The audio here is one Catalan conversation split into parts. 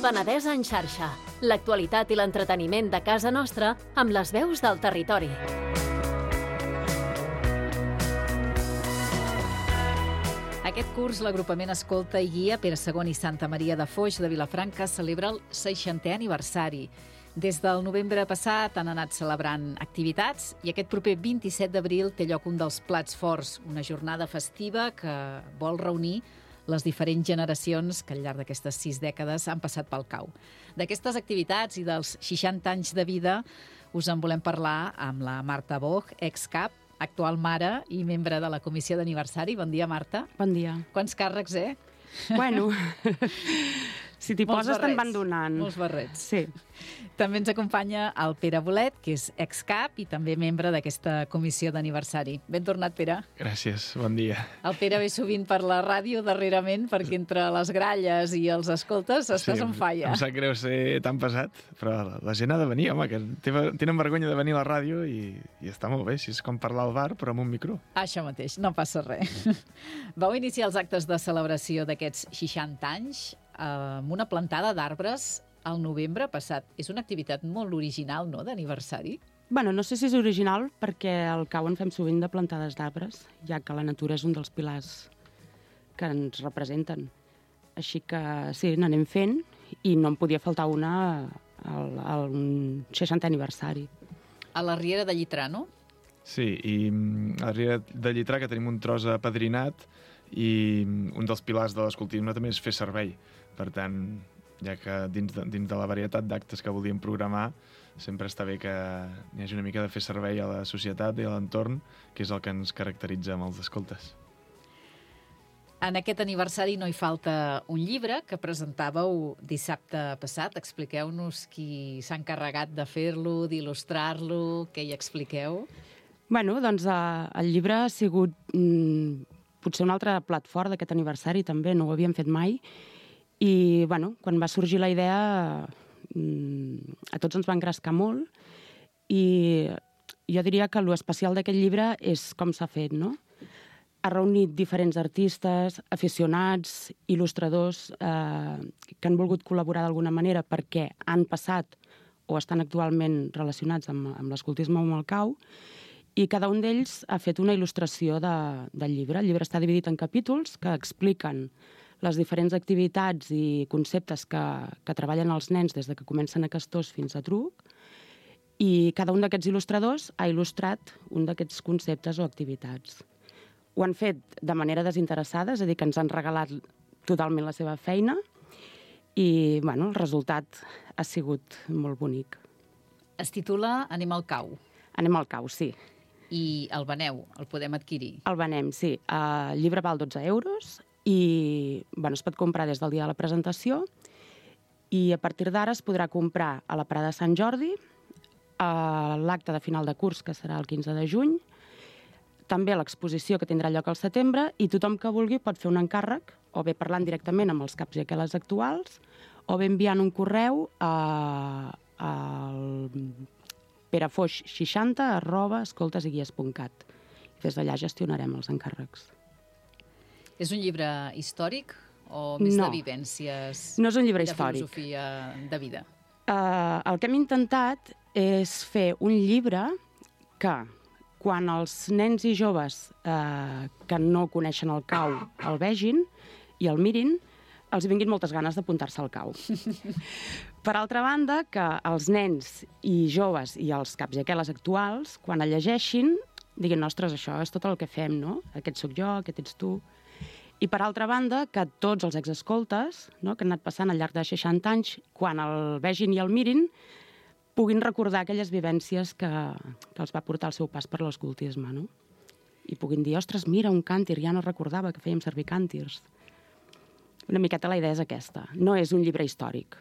Penedès en xarxa. L'actualitat i l'entreteniment de casa nostra amb les veus del territori. Aquest curs, l'agrupament Escolta i Guia Pere II i Santa Maria de Foix de Vilafranca celebra el 60è aniversari. Des del novembre passat han anat celebrant activitats i aquest proper 27 d'abril té lloc un dels plats forts, una jornada festiva que vol reunir les diferents generacions que al llarg d'aquestes 6 dècades han passat pel cau. D'aquestes activitats i dels 60 anys de vida us en volem parlar amb la Marta Boch, ex-cap, actual mare i membre de la comissió d'aniversari. Bon dia, Marta. Bon dia. Quants càrrecs, Bueno, si t'hi poses te'n van donant. Molts barrets. Sí. També ens acompanya el Pere Bolet, que és ex-cap i també membre d'aquesta comissió d'aniversari. Ben tornat, Pere. Gràcies, bon dia. El Pere ve sovint per la ràdio darrerament perquè entre les gralles i els escoltes estàs on falla. Em sap greu ser tan pesat, però la gent ha de venir, home, que tenen vergonya de venir a la ràdio i està molt bé, si és com parlar al bar però amb un micro. Això mateix, no passa res. Vau iniciar els actes de celebració d'aquests 60 anys amb una plantada d'arbres al novembre passat. És una activitat molt original, no?, d'aniversari. Bueno, no sé si és original perquè al cau en fem sovint de plantades d'arbres, ja que la natura és un dels pilars que ens representen. Així que sí, n'anem fent i no en podia faltar una al 60è aniversari. A la Riera de Llitrà, no? Sí, i a la Riera de Llitrà, que tenim un tros apadrinat, i un dels pilars de l'escoltisme també és fer servei. Per tant, ja que dins de la varietat d'actes que volíem programar, sempre està bé que hi hagi una mica de fer servei a la societat i a l'entorn, que és el que ens caracteritza amb els escoltes. En aquest aniversari no hi falta un llibre que presentàveu dissabte passat. Expliqueu-nos qui s'ha encarregat de fer-lo, d'il·lustrar-lo, què hi expliqueu? Bueno, doncs el llibre ha sigut potser un altre plat fort d'aquest aniversari, també, no ho havíem fet mai. I, bueno, quan va sorgir la idea, a tots ens va engrescar molt i jo diria que l'especial d'aquest llibre és com s'ha fet, no? Ha reunit diferents artistes, aficionats, il·lustradors que han volgut col·laborar d'alguna manera perquè han passat o estan actualment relacionats amb l'escoltisme o amb el cau, i cada un d'ells ha fet una il·lustració del llibre. El llibre està dividit en capítols que expliquen les diferents activitats i conceptes que treballen els nens des de que comencen a Castors fins a Truc, i cada un d'aquests il·lustradors ha il·lustrat un d'aquests conceptes o activitats. Ho han fet de manera desinteressada, és a dir, que ens han regalat totalment la seva feina i, bueno, el resultat ha sigut molt bonic. Es titula Anem al cau. Anem al cau, sí. I el veneu, el podem adquirir? El venem, sí. El llibre val 12 euros i es pot comprar des del dia de la presentació i a partir d'ara es podrà comprar a la Parada de Sant Jordi, a l'acte de final de curs, que serà el 15 de juny, també a l'exposició que tindrà lloc al setembre, i tothom que vulgui pot fer un encàrrec, o bé parlant directament amb els caps i aqueles actuals, o bé enviant un correu al perefoix60@escoltesigguies.cat. Des d'allà gestionarem els encàrrecs. És un llibre històric o més de vivències? No és un llibre De històric. filosofia de vida? El que hem intentat és fer un llibre que, quan els nens i joves que no coneixen el cau el vegin i el mirin, els vinguin moltes ganes d'apuntar-se al cau. Per altra banda, que els nens i joves i els caps i aqueles actuals, quan el llegeixin, diguin, ostres, això és tot el que fem, no? Aquest sóc jo, aquest ets tu. I per altra banda, que tots els exescoltes, no, que han anat passant al llarg de 60 anys, quan el vegin i el mirin, puguin recordar aquelles vivències que els va portar el seu pas per l'escoltisme, no? I puguin dir, ostres, mira, un càntir, ja no recordava que fèiem servir càntirs. Una miqueta la idea és aquesta. No és un llibre històric,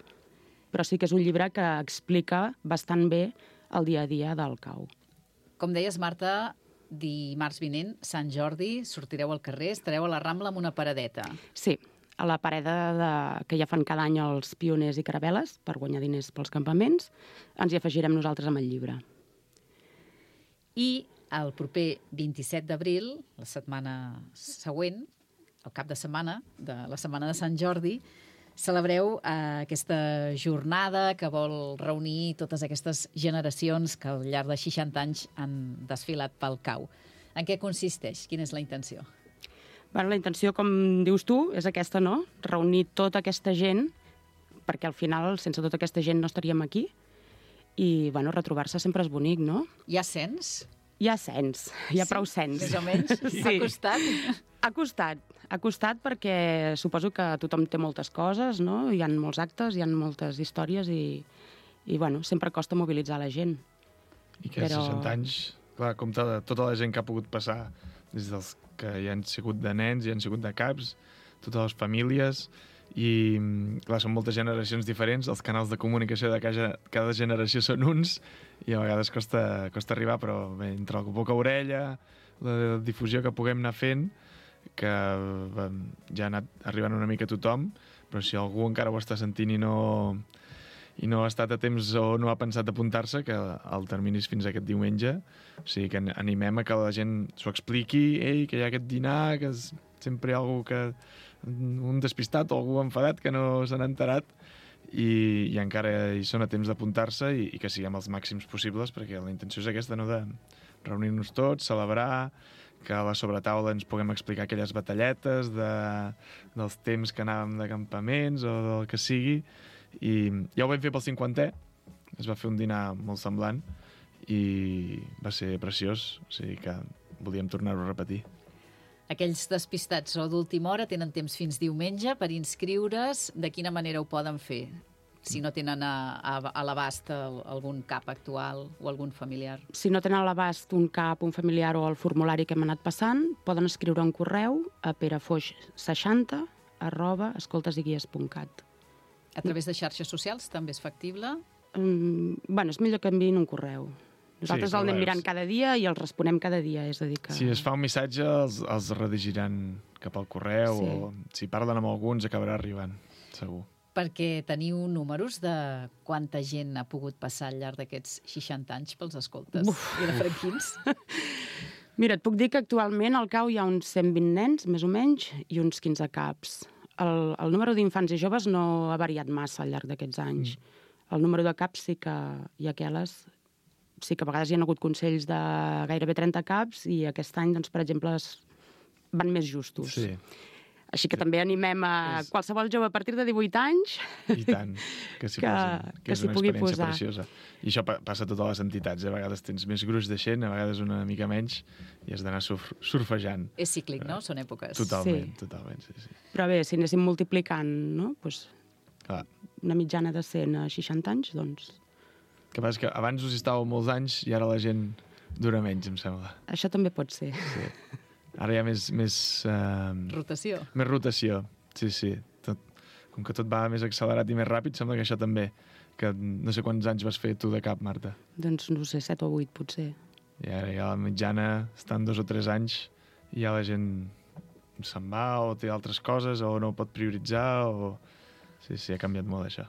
però sí que és un llibre que explica bastant bé el dia a dia del cau. Com deies, Marta, dimarts vinent, Sant Jordi, sortireu al carrer, estareu a la Rambla amb una paradeta. Sí, a la parada que ja fan cada any els pioners i caravel·les per guanyar diners pels campaments, ens hi afegirem nosaltres amb el llibre. I el proper 27 d'abril, la setmana següent, el cap de setmana de la Setmana de Sant Jordi, Celebreu aquesta jornada que vol reunir totes aquestes generacions que al llarg de 60 anys han desfilat pel cau. En què consisteix? Quina és la intenció? Bueno, la intenció, com dius tu, és aquesta, no? Reunir tota aquesta gent, perquè al final, sense tota aquesta gent, no estaríem aquí. I, bueno, retrobar-se sempre és bonic, no? Hi ha cens? Hi ha cens, hi ha prou cens. Més o menys? Sí. Ha costat? Ha costat perquè suposo que tothom té moltes coses, no? Hi ha molts actes, hi ha moltes històries i bueno, sempre costa mobilitzar la gent. I que 60 anys, clar, compte de tota la gent que ha pogut passar, des dels que hi han sigut de nens, hi han sigut de caps, totes les famílies, i clar, són moltes generacions diferents, els canals de comunicació de cada generació són uns, i a vegades costa arribar, però bé, entre el boca a orella, la difusió que puguem anar fent, que ja ha anat arribant una mica a tothom, però si algú encara ho està sentint i no ha estat a temps o no ha pensat apuntar-se, que el termini és fins aquest diumenge, o sigui que animem a que la gent s'ho expliqui, que hi ha aquest dinar, que sempre hi ha algú un despistat o algú enfadat que no se n'ha enterat, i encara hi són a temps d'apuntar-se i que siguem els màxims possibles, perquè la intenció és aquesta, no?, de reunir-nos tots, celebrar, que a la sobretaula ens puguem explicar aquelles batalletes dels temps que anàvem de campaments o del que sigui, i ja ho vam fer pel 50è, es va fer un dinar molt semblant i va ser preciós, o sigui que volíem tornar-ho a repetir. Aquells despistats o d'última hora tenen temps fins diumenge per inscriure's. De quina manera ho poden fer? Si no tenen a l'abast algun cap actual o algun familiar. Si no tenen a l'abast un cap, un familiar o el formulari que hem anat passant, poden escriure un correu a perafoix60@escoltesiguies.cat. A través de xarxes socials també és factible? Bueno, és millor que enviïn un correu. Nosaltres el anem mirant cada dia i els responem cada dia, és a dir que... Si es fa un missatge, els redirigiran cap al correu, sí. O si parlen amb alguns acabarà arribant, segur. Perquè teniu números de quanta gent ha pogut passar al llarg d'aquests 60 anys pels escoltes vilafranquins? Mira, et puc dir que actualment al CAU hi ha uns 120 nens, més o menys, i uns 15 caps. El número d'infants i joves no ha variat massa al llarg d'aquests anys. El número de caps sí que hi ha aqueles... Sí que a vegades hi ha hagut consells de gairebé 30 caps i aquest any, doncs, per exemple, van més justos. Sí. Així que també animem a qualsevol jove a partir de 18 anys I tant, que s'hi pugui posar. Preciosa. I això passa a totes les entitats. A vegades tens més gruix de gent, a vegades una mica menys, i has d'anar surfejant. És cíclic, no? Són èpoques. Totalment, sí. Però bé, si anéssim multiplicant, no? Pues, una mitjana de 100 a 60 anys, doncs... El que passa és que abans us hi estàveu molts anys i ara la gent dura menys, em sembla. Això també pot ser. Sí. Ara hi ha més rotació. Més rotació, sí. Com que tot va més accelerat i més ràpid, sembla que això també. Que no sé quants anys vas fer tu de cap, Marta. Doncs no sé, 7 o 8 potser. I ara ja la mitjana estan 2 o 3 anys i ja la gent se'n va o té altres coses o no ho pot prioritzar o... Sí, ha canviat molt això.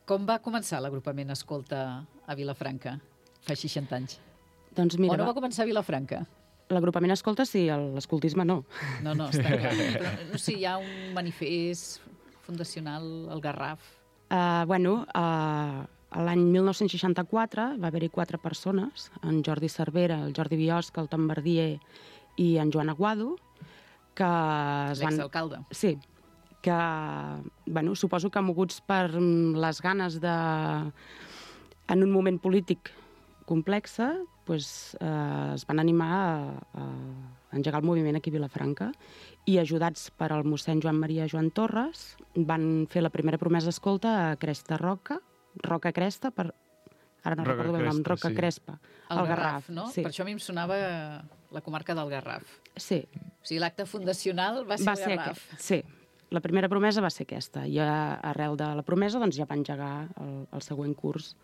Com va començar l'agrupament Escolta a Vilafranca fa 60 anys? Doncs mira, o no va començar a Vilafranca? L'agrupament Escolta sí, l'escoltisme no. No, està clar. Però, no sé, hi ha un manifest fundacional, el Garraf. L'any 1964 va haver-hi 4 persones, en Jordi Cervera, el Jordi Biosca, el Tom Verdier i en Joan Aguado, que l'exalcalde. Sí, que, suposo que moguts per les ganes de... En un moment polític complex, es van animar a engegar el moviment aquí a Vilafranca i, ajudats per el mossèn Joan Maria Joan Torres, van fer la primera promesa escolta a Cresta Roca Cresta, ara no recordo el nom, Roca Crespa, al Garraf, no? Sí. Per això a mi em sonava la comarca del Garraf. Sí. O sigui, l'acte fundacional va ser el Garraf. Sí. La primera promesa va ser aquesta, i arrel de la promesa doncs, ja va engegar el següent curs,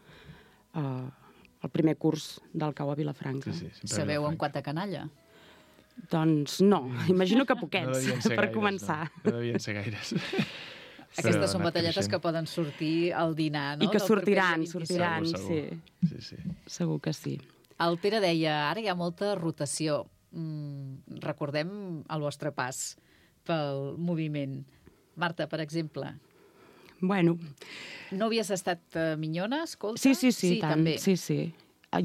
el primer curs del CAU a Vilafranca. Sí, sabeu en quanta canalla? Doncs no, imagino que poquets, per començar. No devien ser gaires. Aquestes són batalletes que poden sortir al dinar, no? I que sortiran, sí. Segur que sí. El Pere deia, ara hi ha molta rotació. Recordem el vostre pas pel moviment. Marta, per exemple, bueno... No havies estat minyona, escolta? Sí, tant. També. Sí.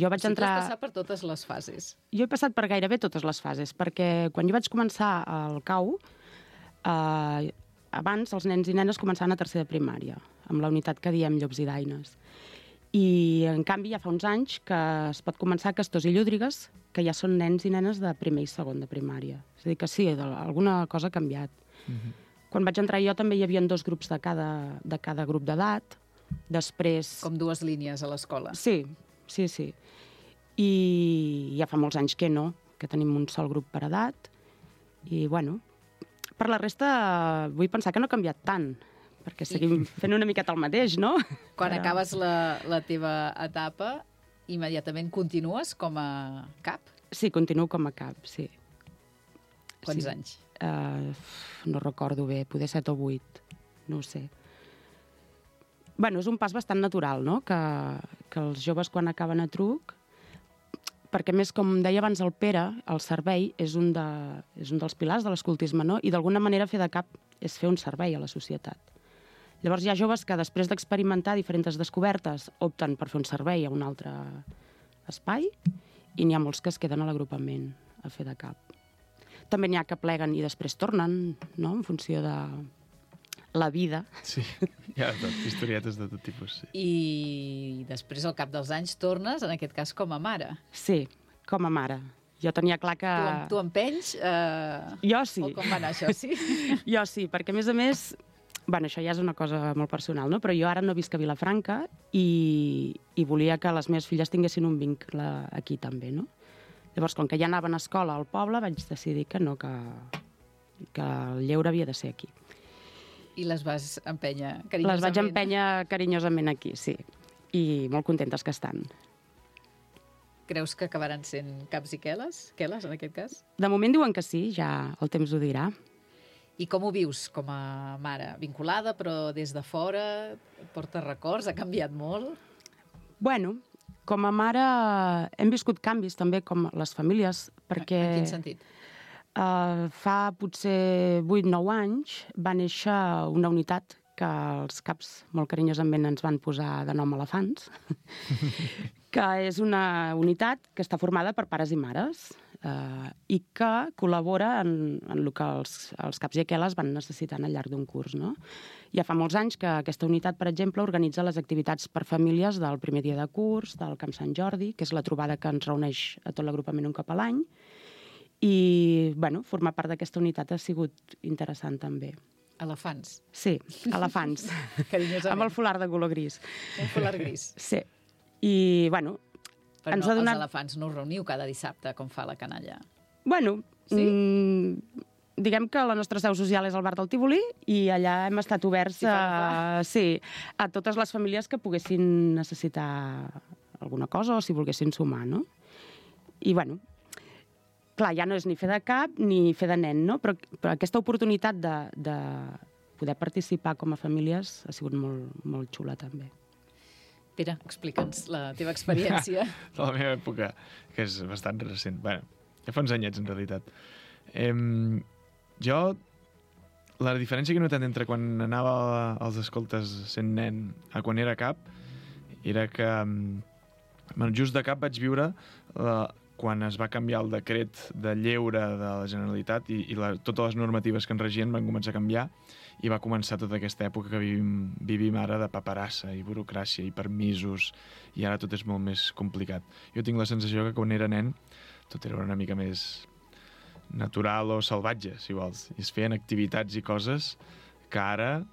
Jo vaig entrar... Tu has passat per totes les fases. Jo he passat per gairebé totes les fases, perquè quan jo vaig començar al CAU, abans els nens i nenes començaven a tercer de primària, amb la unitat que diem Llops i Daines. I, en canvi, ja fa uns anys que es pot començar a Castors i Llúdrigues, que ja són nens i nenes de primer i segon de primària. És a dir, que sí, alguna cosa ha canviat. Quan vaig entrar jo també hi havia 2 grups de cada grup d'edat. Després... Com 2 línies a l'escola. Sí. I ja fa molts anys que no, que tenim un sol grup per edat. I, bueno, per la resta vull pensar que no ha canviat tant, perquè seguim fent una miqueta el mateix, no? Quan acabes la teva etapa, immediatament continues com a cap? Sí, continuo com a cap, sí. Quants anys? No recordo bé, poder 7 o 8, no ho sé. Bueno, és un pas bastant natural, no?, que els joves quan acaben a Truc, perquè més, com deia abans el Pere, el servei és un dels pilars de l'escoltisme, no?, i d'alguna manera fer de cap és fer un servei a la societat. Llavors hi ha joves que després d'experimentar diferents descobertes opten per fer un servei a un altre espai i n'hi ha molts que es queden a l'agrupament a fer de cap. També n'hi ha que pleguen i després tornen, no?, en funció de la vida. Sí, hi ha historietes de tot tipus, sí. I després, al cap dels anys, tornes, en aquest cas, com a mare. Sí, com a mare. Jo tenia clar que... Tu empenys? Jo sí. O com va anar això, sí? Jo sí, perquè a més, bueno, això ja és una cosa molt personal, no? Però jo ara no visc a Vilafranca i volia que les meves filles tinguessin un vincle aquí també, no? Llavors, com que ja anaven a escola al poble, vaig decidir que no, que el lleure havia de ser aquí. I les vas empènyer carinyosament? Les vaig empènyer carinyosament aquí, sí. I molt contentes que estan. Creus que acabaran sent caps i queles? Queles, en aquest cas? De moment diuen que sí, ja el temps ho dirà. I com ho vius com a mare? Vinculada, però des de fora? Porta records? Ha canviat molt? Bueno, com a mare hem viscut canvis també com les famílies, perquè... En quin sentit? Fa potser 8-9 anys va néixer una unitat que els caps molt carinyosament ens van posar de nom elefants, que és una unitat que està formada per pares i mares i que col·labora en el que els caps i aqueles van necessitant al llarg d'un curs, no? Ja fa molts anys que aquesta unitat, per exemple, organitza les activitats per famílies del primer dia de curs, del Camp Sant Jordi, que és la trobada que ens reuneix a tot l'agrupament un cop a l'any, i, bueno, formar part d'aquesta unitat ha sigut interessant també. Elefants? Sí, elefants. Carinyosament. Amb el folar de color gris. Un folar gris. Sí. I, bueno, però ens no, ha donat... els elefants no us reuniu cada dissabte, com fa la canalla. Bueno, sí? Diguem que la nostra seu social és al bar del Tívoli i allà hem estat oberts a totes les famílies que poguessin necessitar alguna cosa o si volguessin sumar, no? I, bueno, clar, ja no és ni fer de cap ni fer de nen, no? Però aquesta oportunitat de poder participar com a famílies ha sigut molt, molt xula, també. Pere, explica'ns la teva experiència. De la meva època, que és bastant recent. Bé, ja fa uns anyets, en realitat. Jo, la diferència que he notat entre quan anava als escoltes sent nen a quan era cap, era que just de cap vaig viure quan es va canviar el decret de lleure de la Generalitat i totes les normatives que en regien van començar a canviar i va començar tota aquesta època que vivim ara de paperassa i burocràcia i permisos i ara tot és molt més complicat. Jo tinc la sensació que quan era nen tot era una mica més natural o salvatge, si vols. I es feien activitats i coses que ara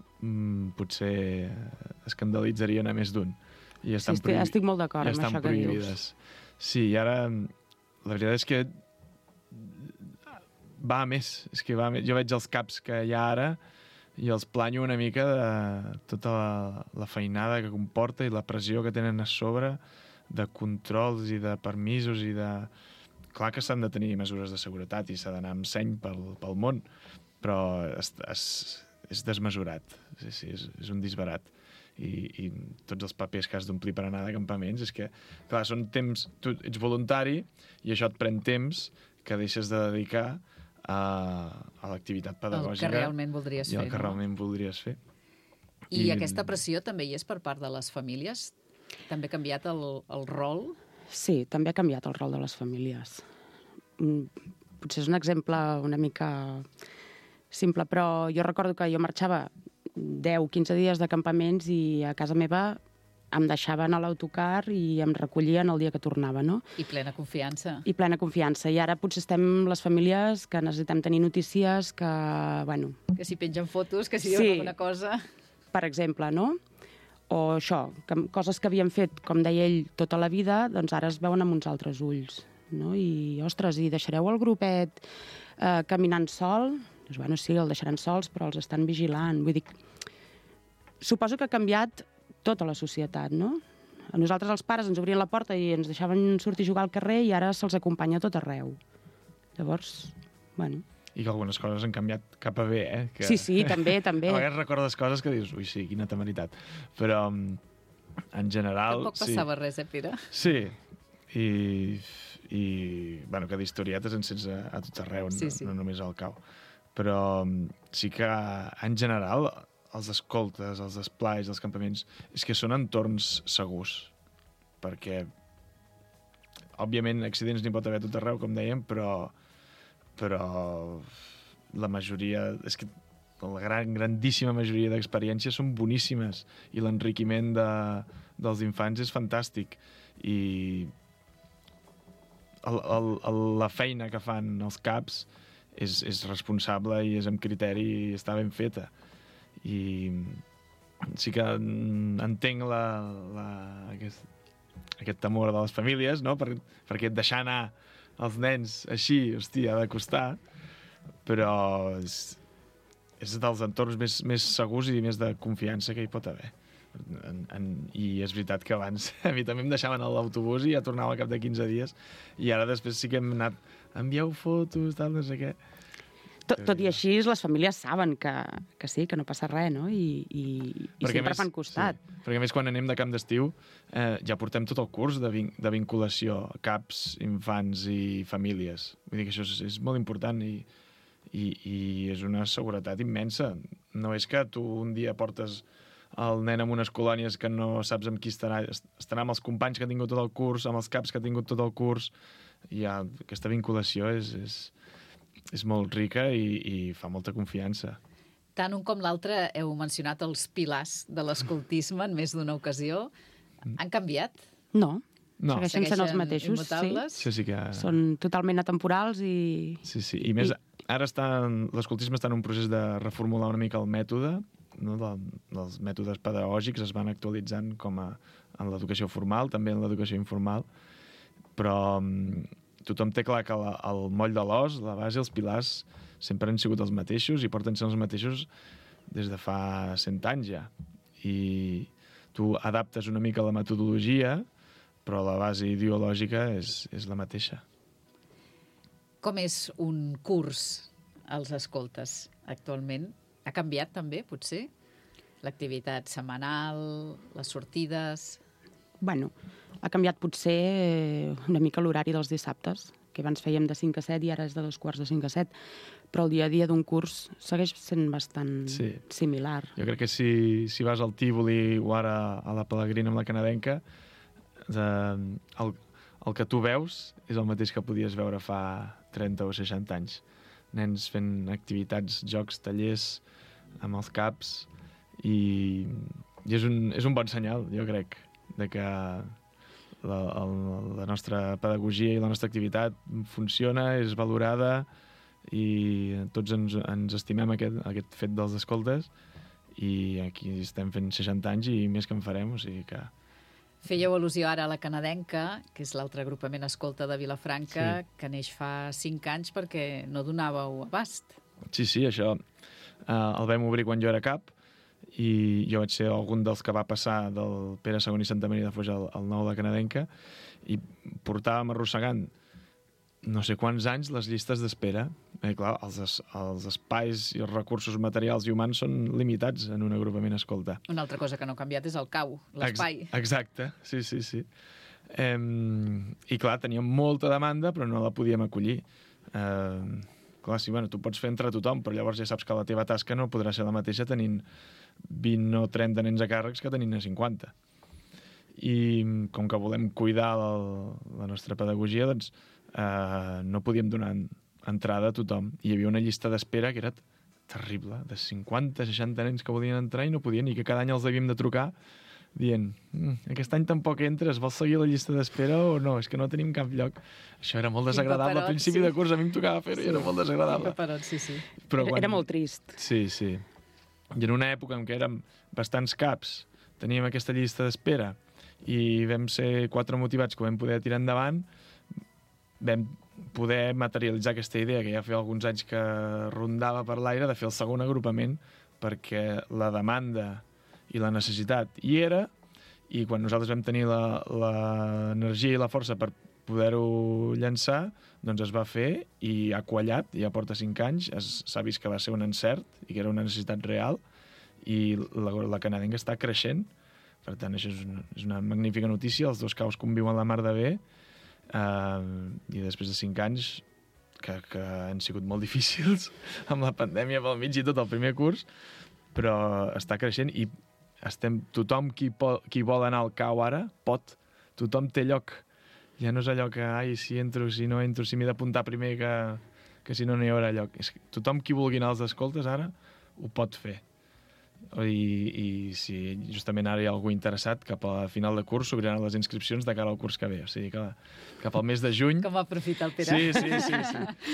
potser escandalitzarien a més d'un. I estan estic molt d'acord amb això que dius. Sí, i ara la veritat és que va a més. És que va a més. Jo veig els caps que hi ha ara i els planyo una mica de tota la feinada que comporta i la pressió que tenen a sobre de controls i de permisos i de... Clar que s'han de tenir mesures de seguretat i s'ha d'anar amb seny pel món, però és desmesurat. Sí, és un disbarat. I tots els papers que has d'omplir per anar de campaments, és que, clar, són temps... Tu ets voluntari i això et pren temps que deixes de dedicar a l'activitat pedagògica. El que realment voldries fer. I el que realment voldries fer. I aquesta pressió també hi és per part de les famílies? També ha canviat el rol? Sí, també ha canviat el rol de les famílies. Potser és un exemple una mica simple, però jo recordo que jo marxava 10-15 dies de campaments i a casa meva em deixaven a l'autocar i em recollien el dia que tornava, no? I plena confiança. I plena confiança. I ara potser estem les famílies que necessitem tenir notícies que, bueno... Que si pengen fotos, que si diuen alguna cosa... Per exemple, no? O això, que coses que havíem fet, com deia ell, tota la vida, doncs ara es veuen amb uns altres ulls, no? I, ostres, i deixareu el grupet caminant sol? Doncs, bueno, sí, el deixaran sols, però els estan vigilant. Vull dir, suposo que ha canviat tota la societat, no? A nosaltres els pares ens obrien la porta i ens deixaven sortir a jugar al carrer i ara se'ls acompanya a tot arreu. Llavors, bueno... I que algunes coses han canviat cap a bé, Que... Sí, també. A vegades recordes coses que dius, ui, sí, quina temeritat. Però, en general... Tampoc passava res, Pere? Sí, i bueno, que d'historietes en sents a tot arreu, no només al cau. Però sí que, en general, els escoltes, els esplais, els campaments, és que són entorns segurs, perquè, òbviament, accidents n'hi pot haver a tot arreu, com dèiem, però la majoria, és que la grandíssima majoria d'experiències són boníssimes i l'enriquiment dels infants és fantàstic. I la feina que fan els CAPs és responsable i és amb criteri i està ben feta. I sí que entenc aquest temor de les famílies, no? Perquè deixar anar els nens així, hòstia, ha de costar, però és dels entorns més segurs i més de confiança que hi pot haver. I és veritat que abans a mi també em deixaven a l'autobús i ja tornava al cap de 15 dies, i ara després sí que hem anat, envieu fotos, tal, no sé què. Tot i així, les famílies saben que sí, que no passa res, no? I sempre fan costat. Sí. Perquè a més, quan anem de camp d'estiu, ja portem tot el curs de vinculació, CAPs, infants i famílies. Vull dir que això és molt important i és una seguretat immensa. No és que tu un dia portes el nen en unes colònies que no saps amb qui estarà amb els companys que ha tingut tot el curs, amb els CAPs que ha tingut tot el curs, i aquesta vinculació és molt rica i fa molta confiança. Tant un com l'altre heu mencionat els pilars de l'escoltisme en més d'una ocasió. Han canviat? No. Segueixen sent els mateixos. Immutables? Sí que... Són totalment atemporals i... Sí. I més, ara l'escoltisme està en un procés de reformular una mica el mètode, no? Els mètodes pedagògics es van actualitzant com en l'educació formal, també en l'educació informal, però tothom té clar que el moll de l'os, la base, els pilars, sempre han sigut els mateixos i porten sent els mateixos des de fa 100 anys ja. I tu adaptes una mica la metodologia, però la base ideològica és la mateixa. Com és un curs als escoltes actualment? Ha canviat també, potser? L'activitat setmanal, les sortides... Bueno, ha canviat potser una mica l'horari dels dissabtes, que abans fèiem de 5 a 7 i ara és de 2:45 a 7, però el dia a dia d'un curs segueix sent bastant similar. Jo crec que si vas al Tívoli o ara a la Pelegrina amb la Canadenca, el que tu veus és el mateix que podies veure fa 30 o 60 anys. Nens fent activitats, jocs, tallers amb els CAPs, i és un bon senyal, jo crec, de que la nostra pedagogia i la nostra activitat funciona, és valorada, i tots ens estimem aquest fet dels escoltes, i aquí estem fent 60 anys i més que en farem, o sigui que... Fèieu al·lusió ara a la Canadenca, que és l'altre agrupament escolta de Vilafranca, que neix fa 5 anys perquè no donàveu abast. Sí, això el vam obrir quan jo era cap, i jo vaig ser algun dels que va passar del Pere II i Santa Maria de Foix al nou de Canadenca, i portàvem arrossegant no sé quants anys les llistes d'espera. Clar, els espais i els recursos materials i humans són limitats en un agrupament escolta. Una altra cosa que no ha canviat és el cau, l'espai. Exacte, sí. I clar, teníem molta demanda, però no la podíem acollir. Clar, sí, tu pots fer entre tothom, però llavors ja saps que la teva tasca no podrà ser la mateixa tenint 20 o 30 nens a càrrecs que tenint 50. I com que volem cuidar la nostra pedagogia, doncs no podíem donar entrada a tothom. Hi havia una llista d'espera que era terrible, de 50-60 nens que volien entrar i no podien, i que cada any els havíem de trucar dient, aquest any tampoc entres, vols seguir la llista d'espera o no? És que no tenim cap lloc. Això era molt desagradable. Al principi de curs a mi em tocava fer-ho i era molt desagradable. Però era molt trist. Sí. I en una època en què érem bastants caps, teníem aquesta llista d'espera i vam ser 4 motivats que ho vam poder tirar endavant, vam poder materialitzar aquesta idea que ja feia alguns anys que rondava per l'aire de fer el segon agrupament, perquè la demanda i la necessitat hi era, i quan nosaltres vam tenir l'energia i la força per poder-ho llançar, doncs es va fer i ha quallat, ja porta 5 anys, s'ha vist que va ser un encert i que era una necessitat real, i la canadenca està creixent. Per tant, això és una magnífica notícia. Els 2 caus conviuen la mar de bé, i després de 5 anys que han sigut molt difícils amb la pandèmia pel mig i tot el primer curs, però està creixent i tothom qui vol anar al cau ara pot, tothom té lloc. Ja no és allò que, si entro, si no entro, si m'he d'apuntar primer que si no hi haurà lloc. Tothom qui vulgui anar als escoltes ara ho pot fer. I si justament ara hi ha algú interessat, cap a final de curs s'obriran les inscripcions de cara al curs que ve. O sigui que cap al mes de juny... Com va aprofitar el Pere. Sí.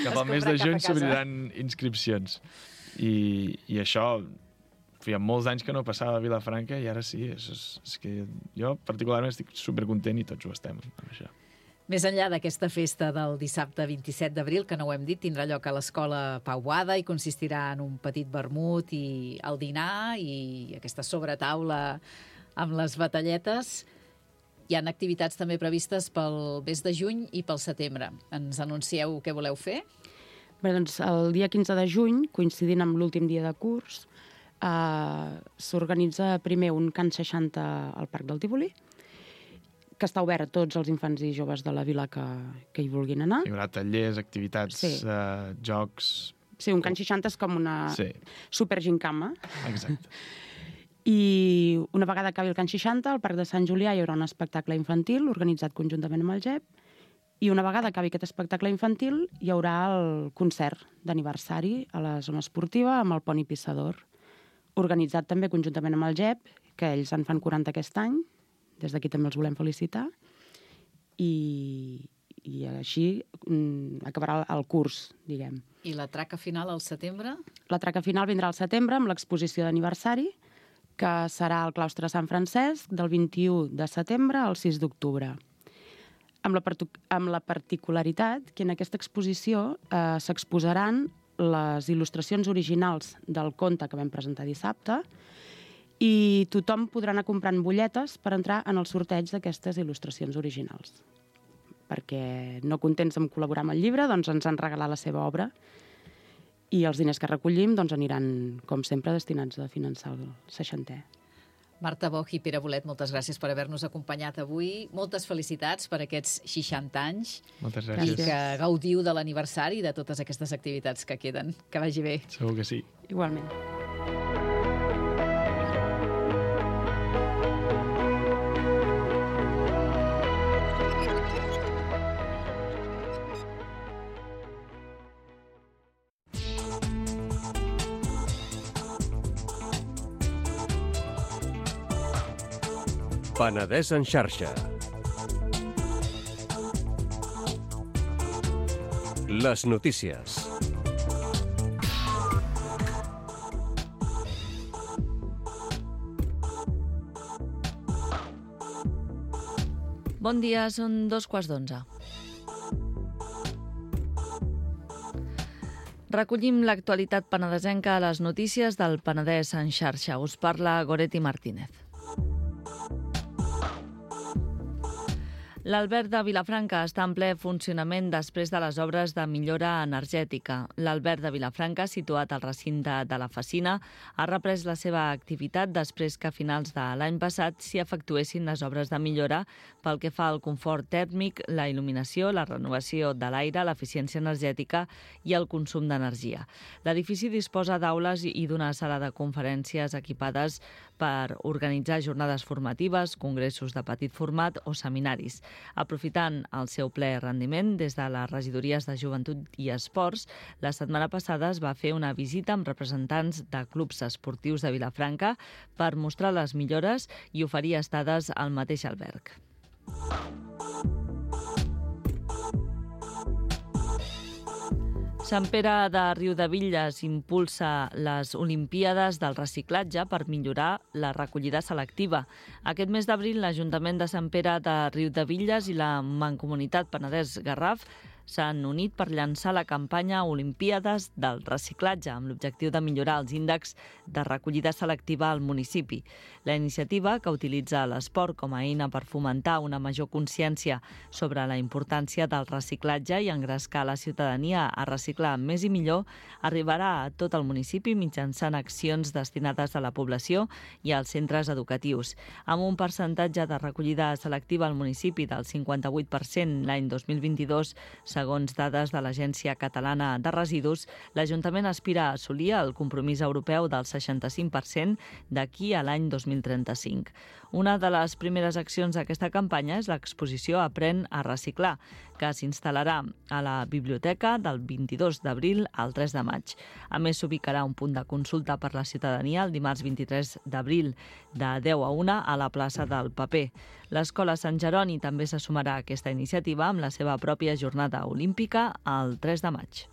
Cap al mes de juny s'obriran inscripcions. I això... Feia molts anys que no passava a Vilafranca i ara sí. És que jo particularment estic supercontent i tots ho estem amb això. Més enllà d'aquesta festa del dissabte 27 d'abril, que no ho hem dit, tindrà lloc a l'Escola Pau Boada i consistirà en un petit vermut i el dinar i aquesta sobretaula amb les batalletes. Hi ha activitats també previstes pel mes de juny i pel setembre. Ens anuncieu què voleu fer? Bé, doncs el dia 15 de juny, coincidint amb l'últim dia de curs, s'organitza primer un Can 60 al Parc del Tívoli, que està obert a tots els infants i joves de la vila que hi vulguin anar. Hi haurà tallers, activitats, jocs... Sí, un Can 60 és com una supergincama. Exacte. I una vegada acabi el Can 60, al Parc de Sant Julià hi haurà un espectacle infantil organitzat conjuntament amb el GEP, i una vegada acabi aquest espectacle infantil hi haurà el concert d'aniversari a la zona esportiva amb el Poni Pissador, organitzat també conjuntament amb el GEP, que ells en fan 40 aquest any. Des d'aquí també els volem felicitar. I així acabarà el curs, diguem. I la traca final al setembre? La traca final vindrà al setembre amb l'exposició d'aniversari, que serà al claustre de Sant Francesc del 21 de setembre al 6 d'octubre. Amb la particularitat que en aquesta exposició s'exposaran les il·lustracions originals del conte que vam presentar dissabte i tothom podrà anar comprant butlletes per entrar en el sorteig d'aquestes il·lustracions originals. Perquè no contents amb col·laborar amb el llibre, doncs ens han regalat la seva obra i els diners que recollim doncs aniran, com sempre, destinats a finançar el 60è. Marta Boch i Pere Bolet, moltes gràcies per haver-nos acompanyat avui. Moltes felicitats per aquests 60 anys. Moltes gràcies. I que gaudiu de l'aniversari i de totes aquestes activitats que queden. Que vagi bé. Segur que sí. Igualment. Penedès en xarxa. Les notícies. Bon dia, són 2:15. Recollim l'actualitat penedesenca a les notícies del Penedès en xarxa. Us parla Goretti Martínez. L'alberg de Vilafranca està en ple funcionament després de les obres de millora energètica. L'alberg de Vilafranca, situat al recinte de la Facina, ha reprès la seva activitat després que a finals de l'any passat s'hi efectuessin les obres de millora pel que fa al confort tèrmic, la il·luminació, la renovació de l'aire, l'eficiència energètica i el consum d'energia. L'edifici disposa d'aules i d'una sala de conferències equipades per organitzar jornades formatives, congressos de petit format o seminaris. Aprofitant el seu ple rendiment, des de les regidories de Joventut i Esports, la setmana passada es va fer una visita amb representants de clubs esportius de Vilafranca per mostrar les millores i oferir estades al mateix alberg. Sant Pere de Riudebitlles impulsa les Olimpíades del reciclatge per millorar la recollida selectiva. Aquest mes d'abril, l'Ajuntament de Sant Pere de Riudebitlles i la Mancomunitat Penedès-Garraf s'han unit per llançar la campanya Olimpíades del reciclatge amb l'objectiu de millorar els índexs de recollida selectiva al municipi. La iniciativa, que utilitza l'esport com a eina per fomentar una major consciència sobre la importància del reciclatge i engrescar la ciutadania a reciclar més i millor, arribarà a tot el municipi mitjançant accions destinades a la població i als centres educatius. Amb un percentatge de recollida selectiva al municipi del 58% l'any 2022, segons dades de l'Agència Catalana de Residus, l'Ajuntament aspira a assolir el compromís europeu del 65% d'aquí a l'any 2035. Una de les primeres accions d'aquesta campanya és l'exposició Aprèn a reciclar, que s'instal·larà a la biblioteca del 22 d'abril al 3 de maig. A més, s'ubicarà un punt de consulta per la ciutadania el dimarts 23 d'abril de 10 a 1 a la plaça del Paper. L'Escola Sant Jeroni també se sumarà a aquesta iniciativa amb la seva pròpia jornada olímpica el 3 de maig.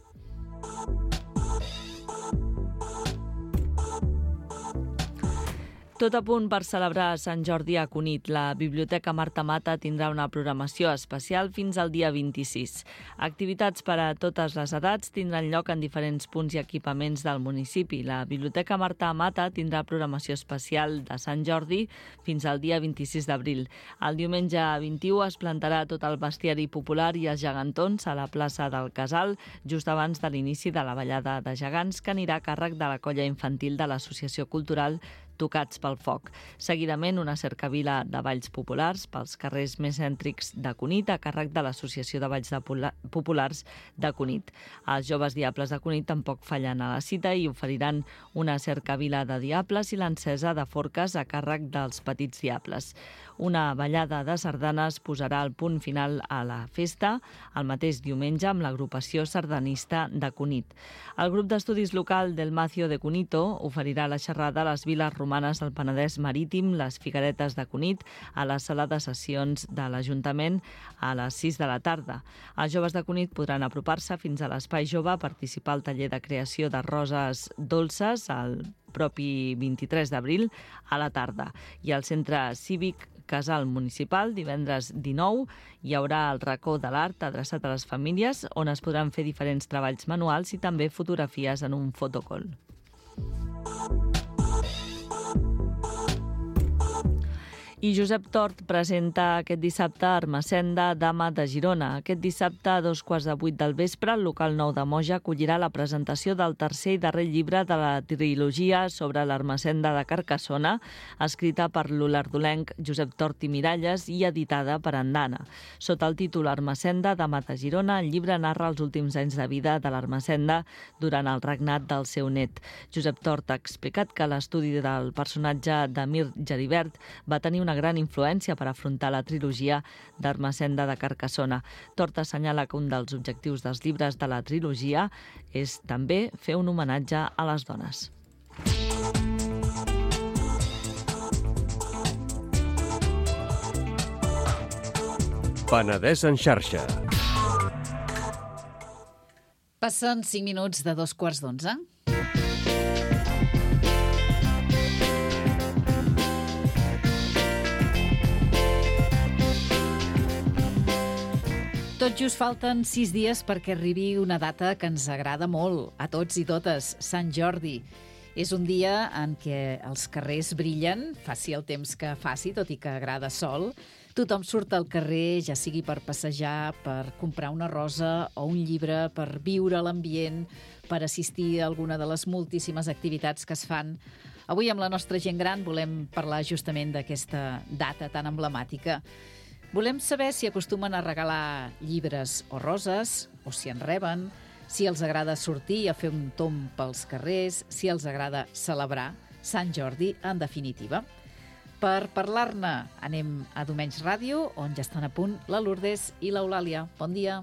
Tot a punt per celebrar Sant Jordi a Cunit. La Biblioteca Marta Mata tindrà una programació especial fins al dia 26. Activitats per a totes les edats tindran lloc en diferents punts i equipaments del municipi. La Biblioteca Marta Mata tindrà programació especial de Sant Jordi fins al dia 26 d'abril. El diumenge 21 es plantarà tot el bestiari popular i els gegantons a la plaça del Casal, just abans de l'inici de la ballada de gegants, que anirà a càrrec de la colla infantil de l'Associació Cultural Tocats pel Foc. Seguidament, una cercavila de balls populars pels carrers més cèntrics de Cunit a càrrec de l'Associació de Balls Populars de Cunit. Els joves diables de Cunit tampoc fallen a la cita i oferiran una cercavila de diables i l'encesa de forques a càrrec dels petits diables. Una ballada de sardanes posarà el punt final a la festa el mateix diumenge amb l'agrupació sardanista de Cunit. El grup d'estudis local del Macio de Cunito oferirà la xerrada a les viles romanes del Penedès Marítim, les Figueretes de Cunit, a la sala de sessions de l'Ajuntament a les 6 de la tarda. Els joves de Cunit podran apropar-se fins a l'Espai Jove a participar al taller de creació de roses dolces el propi 23 d'abril a la tarda. I al Centre Cívic Casal Municipal, divendres 19, hi haurà el racó de l'art adreçat a les famílies, on es podran fer diferents treballs manuals i també fotografies en un fotocall. I Josep Tort presenta aquest dissabte Ermessenda, Dama de Girona. Aquest dissabte, a 7:15 del vespre, el local 9 de Moja acollirà la presentació del tercer i darrer llibre de la trilogia sobre l'Ermessenda de Carcassona, escrita per l'olardolenc Josep Tort i Miralles i editada per Andana. Sota el títol Ermessenda, Dama de Girona, el llibre narra els últims anys de vida de l'Ermessenda durant el regnat del seu net. Josep Tort ha explicat que l'estudi del personatge d'Emir Geribert va tenir una gran influència per afrontar la trilogia d'Ermessenda de Carcassona. Tort assenyala que un dels objectius dels llibres de la trilogia és també fer un homenatge a les dones. Penedès en xarxa. Passen 5 minuts de 2:15. Tot just falten 6 dies perquè arribi una data que ens agrada molt, a tots i totes, Sant Jordi. És un dia en què els carrers brillen, faci el temps que faci, tot i que agrada sol. Tothom surt al carrer, ja sigui per passejar, per comprar una rosa o un llibre, per viure l'ambient, per assistir a alguna de les moltíssimes activitats que es fan. Avui amb la nostra gent gran volem parlar justament d'aquesta data tan emblemàtica. Volem saber si acostumen a regalar llibres o roses, o si en reben, si els agrada sortir a fer un tomb pels carrers, si els agrada celebrar Sant Jordi, en definitiva. Per parlar-ne anem a Domenys Ràdio, on ja estan a punt la Lourdes i l'Eulàlia. Bon dia.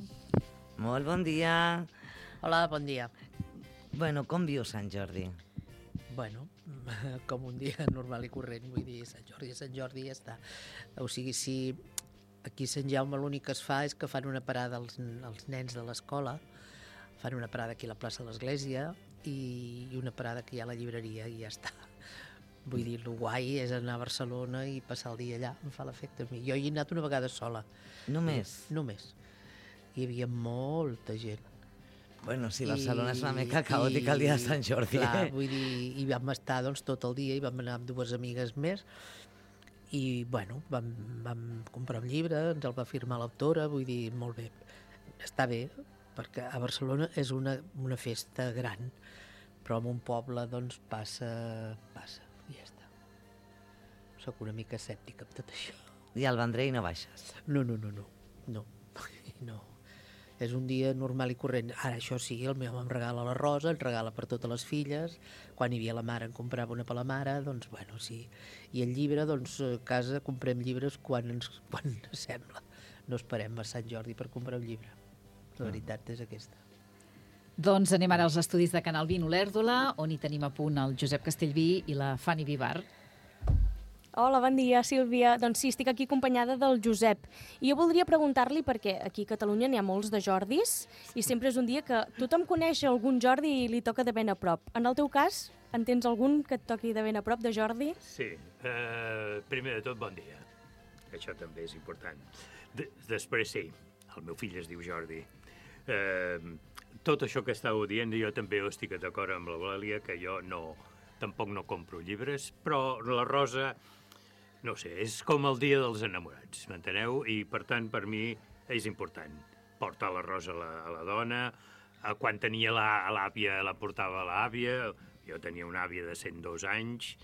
Molt bon dia. Hola, bon dia. Bueno, com viu Sant Jordi? Bueno, com un dia normal i corrent, vull dir, Sant Jordi ja està. O sigui, si aquí a Sant Jaume l'únic que es fa és que fan una parada els nens de l'escola, fan una parada aquí a la plaça de l'Església i una parada que hi ha a la llibreria i ja està. Vull dir, el guai és anar a Barcelona i passar el dia allà, em fa l'efecte a mi. Jo hi he anat una vegada sola. Només? Només. Hi havia molta gent. Bueno, sí, Barcelona és una mica caòtica el dia de Sant Jordi. Clar, vull dir, i vam estar doncs, tot el dia i vam anar amb dues amigues més i, bueno, vam comprar un llibre, ens el va firmar l'autora, vull dir, molt bé. Està bé, perquè a Barcelona és una festa gran, però en un poble, doncs, passa, i ja està. Soc una mica escèptica amb tot això. I al Vendrell no baixes? No. És un dia normal i corrent. Ara, això sí, el meu home em regala la rosa, el regala per totes les filles. Quan hi havia la mare en comprava una per la mare, doncs, bueno, sí. I el llibre, doncs, a casa comprem llibres quan sembla. No esperem a Sant Jordi per comprar un llibre. La veritat és aquesta. Doncs anem ara als estudis de Canal 20 Olèrdola, on hi tenim a punt el Josep Castellví i la Fanny Vivar. Hola, bon dia, Sílvia. Doncs sí, estic aquí acompanyada del Josep. I jo voldria preguntar-li, perquè aquí a Catalunya n'hi ha molts de Jordis, i sempre és un dia que tothom coneix algun Jordi i li toca de ben a prop. En el teu cas, en tens algun que et toqui de ben a prop de Jordi? Sí. Primer de tot, bon dia. Això també és important. Després sí, el meu fill es diu Jordi. Tot això que estàveu dient, jo també estic d'acord amb l'Eulàlia, que jo tampoc no compro llibres, però la rosa, no sé, és com el dia dels enamorats, m'enteneu? I, per tant, per mi és important portar la rosa a la dona. Quan tenia l'àvia, la portava a l'àvia. Jo tenia una àvia de 102 anys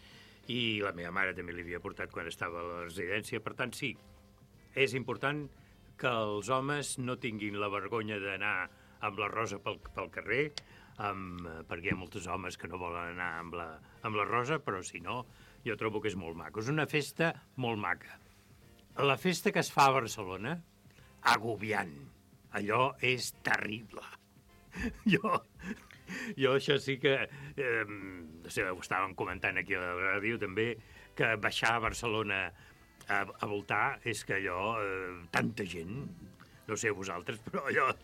i la meva mare també l'havia portat quan estava a la residència. Per tant, sí, és important que els homes no tinguin la vergonya d'anar amb la rosa pel carrer, perquè hi ha molts homes que no volen anar amb la rosa, però si no, jo trobo que és molt maco. És una festa molt maca. La festa que es fa a Barcelona, agobiant. Allò és terrible. Jo això sí que... no sé, ho estàvem comentant aquí a la ràdio també, que baixar a Barcelona a voltar és que allò... tanta gent... No sé vosaltres, però allò...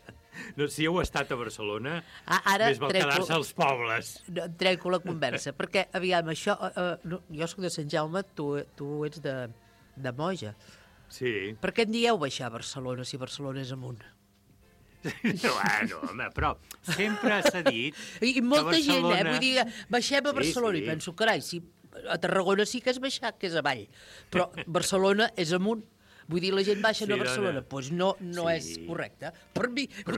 No, si heu estat a Barcelona, més val quedar-se als pobles. Trenco la conversa, perquè, aviam, això... jo soc de Sant Jaume, tu ets de Moja. Sí. Per què en dieu baixar a Barcelona, si Barcelona és amunt? Bueno, home, però sempre s'ha dit I molta que Barcelona... gent, vull dir, baixem a Barcelona, i penso, carai, a Tarragona sí que és baixar, que és avall, però Barcelona és amunt. Vull dir, la gent baixa a Barcelona. Doncs no és correcte. Per mi ho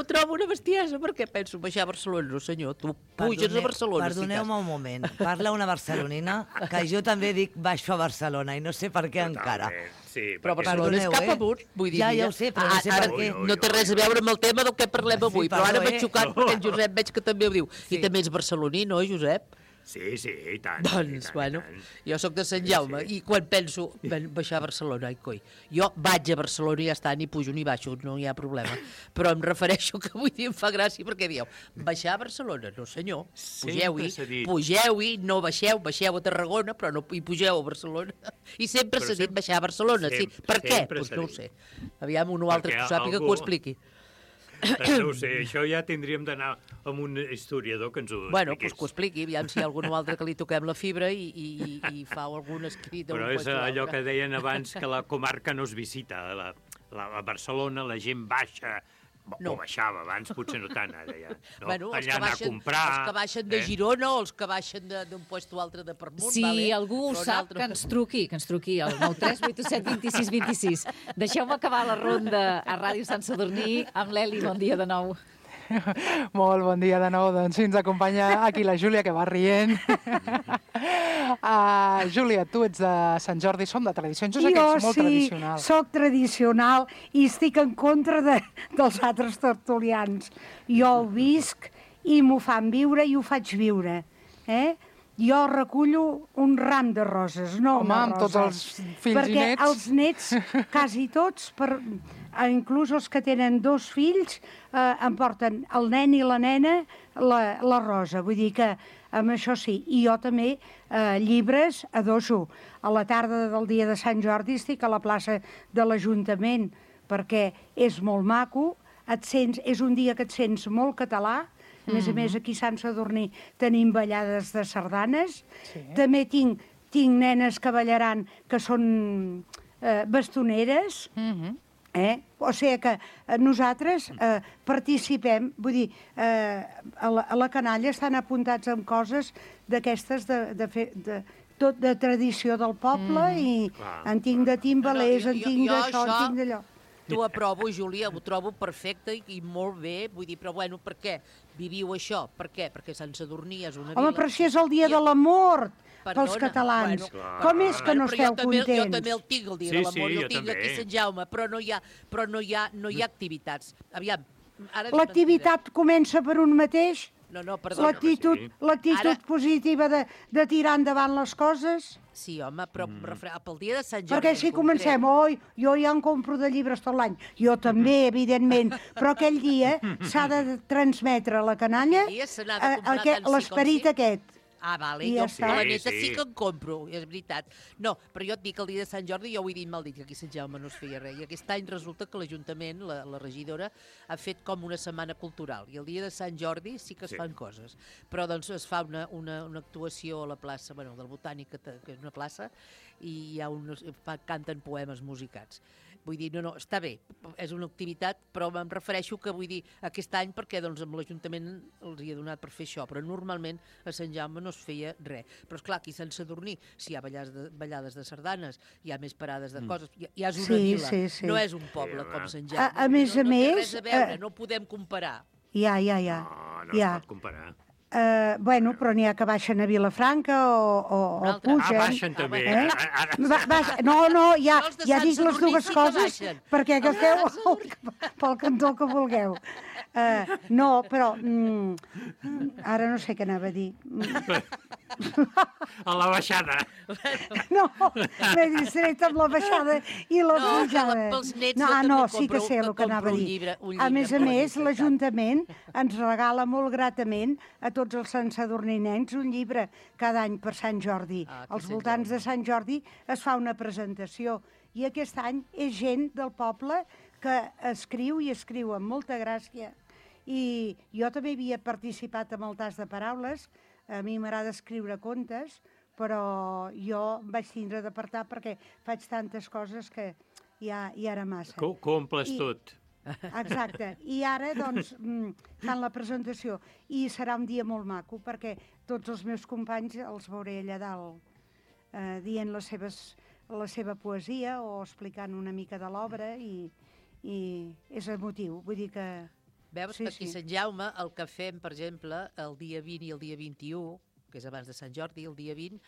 trobo una bestiesa, perquè penso baixar a Barcelona. No, senyor, tu puges a Barcelona. Perdoneu-me un moment. Parla una barcelonina, que jo també dic baixo a Barcelona, i no sé per què encara. Sí, però Barcelona és cap amunt. Ja ho sé, però no sé per què. No té res a veure amb el tema del que parlem avui, però ara m'he xocat perquè el Josep veig que també ho diu. I també és barceloní, no, Josep? Sí, i tant. Doncs, bueno, jo sóc de Sant Jaume i quan penso baixar a Barcelona, ai coi, jo vaig a Barcelona i ja està, ni pujo ni baixo, no hi ha problema. Però em refereixo que avui dia em fa gràcia perquè dieu, baixar a Barcelona, no senyor, pugeu-hi, no baixeu a Tarragona, però no hi pugeu a Barcelona. I sempre s'ha dit baixar a Barcelona, sí. Per què? Doncs no ho sé. Aviam, un o altre que ho sàpiga que ho expliqui. No ho sé, això ja tindríem d'anar amb un historiador que ens ho expliqués. Bueno, doncs que ho expliqui, aviam si hi ha algun altre que li toquem la fibra i fa algun escrit. Però és allò que deien abans, que la comarca no es visita. A Barcelona la gent baixa O baixava, abans potser no tant, ara ja. No? Bueno, Allà anar a comprar... Els que baixen de Girona o els que baixen d'un puesto altre de per munt. Si algú ho sap, que ens truqui al 93827 26 26. Deixeu-me acabar la ronda a Ràdio Sant Sadurní amb l'Eli. Bon dia de nou. Molt bon dia de nou. Doncs sí, ens acompanya aquí la Júlia, que va rient. Júlia, tu ets de Sant Jordi, som de tradicions. Jo sé que ets molt tradicional. Jo sí, soc tradicional i estic en contra dels altres tertulians. Jo ho visc i m'ho fan viure i ho faig viure. Jo recullo un ram de roses, no una rosa. Amb tots els fills i nets. Perquè els nets, quasi tots, inclús els que tenen 2 fills, em porten el nen i la nena la rosa. Vull dir que amb això sí. I jo també llibres adoso. A la tarda del dia de Sant Jordi estic a la plaça de l'Ajuntament perquè és molt maco, és un dia que et sents molt català. A més, aquí a Sant Sadurní tenim ballades de sardanes. També tinc nenes que ballaran que són bastoneres. O sigui que nosaltres participem, vull dir, a la canalla estan apuntats amb coses d'aquestes de tradició del poble i en tinc de timbalers, en tinc d'això, en tinc d'allò. T'ho aprovo, Júlia, ho trobo perfecte i molt bé, vull dir, però bueno, per què viviu això? Per què? Perquè Sant Sadurní és una vila... Home, però si és el dia de l'amor pels catalans. Com és que no esteu contents? Jo també el tinc, el dia de l'amor, jo el tinc aquí a Sant Jaume, però no hi ha activitats. Aviam, l'activitat comença per un mateix? No, perdona. L'actitud positiva de tirar endavant les coses? Sí, home, però pel dia de Sant Jordi... Perquè si comencem, jo ja en compro de llibres tot l'any. Jo també, evidentment, però aquell dia s'ha de transmetre a la canalla l'esperit aquest. Ah, vale, jo a la neta sí que en compro, és veritat. No, però jo et dic que el dia de Sant Jordi, jo ho he dit mal dit, que aquí a Sant Jaume no es feia res. I aquest any resulta que l'Ajuntament, la regidora, ha fet com una setmana cultural. I el dia de Sant Jordi sí que es fan coses. Però doncs es fa una actuació a la plaça, bueno, del Botànic, que és una plaça, i canten poemes musicats. Vull dir, no, està bé, és una activitat, però em refereixo que vull dir aquest any perquè doncs, amb l'Ajuntament els hi ha donat per fer això, però normalment a Sant Jaume no es feia res. Però esclar, aquí a Sant Sadurní, si hi ha ballades de sardanes, hi ha més parades de coses, ja és una vila, no és un poble com Sant Jaume. A més, no té res a veure, no ho podem comparar. Ja. No es pot comparar. Bueno, però n'hi ha que baixen a Vilafranca o pugen. Baixen també. No, ja dic les dues coses perquè agafeu pel cantó que vulgueu. No, però ara no sé què anava a dir. A la baixada. No, m'he distret amb la baixada i la pujada. No, sí que sé el que anava a dir. A més, l'Ajuntament ens regala molt gratament a tots els santsadurninencs un llibre cada any per Sant Jordi. Als voltants de Sant Jordi es fa una presentació i aquest any és gent del poble que escriu i escriu amb molta gràcia. I jo també havia participat amb el tas de paraules. A mi m'agrada escriure contes, però jo vaig tindre d'apartar perquè faig tantes coses que ja era massa. Que ho omples tot. Exacte. I ara, doncs, fan la presentació. I serà un dia molt maco, perquè tots els meus companys els veuré allà dalt dient la seva poesia o explicant una mica de l'obra i és emotiu. Vull dir que... Veus que aquí a Sant Jaume el que fem, per exemple, el dia 20 i el dia 21, que és abans de Sant Jordi, el dia 20,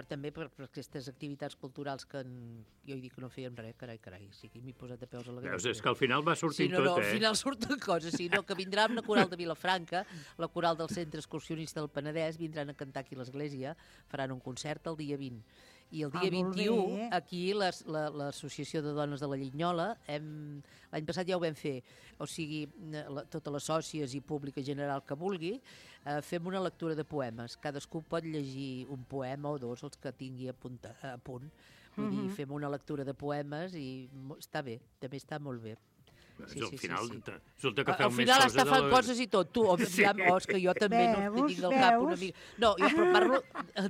també per aquestes activitats culturals que jo he dit que no fèiem res, carai, sí que m'he posat de peus a la granja. Veus, és que al final va sortint tot, al final surten coses, que vindrà una coral de Vilafranca, la coral del Centre Excursionista del Penedès, vindran a cantar aquí a l'església, faran un concert el dia 20. I el dia 21, aquí l'Associació de Dones de la Llinyola, l'any passat ja ho vam fer, o sigui, totes les sòcies i públic en general que vulgui, fem una lectura de poemes. Cadascú pot llegir un poema o dos, els que tingui a punt. Vull dir, fem una lectura de poemes i està bé, també està molt bé. Al final, resulta que feu al més final coses està fent de coses i tot. Tu, és que jo també no tinc al cap una mica... No, jo però parlo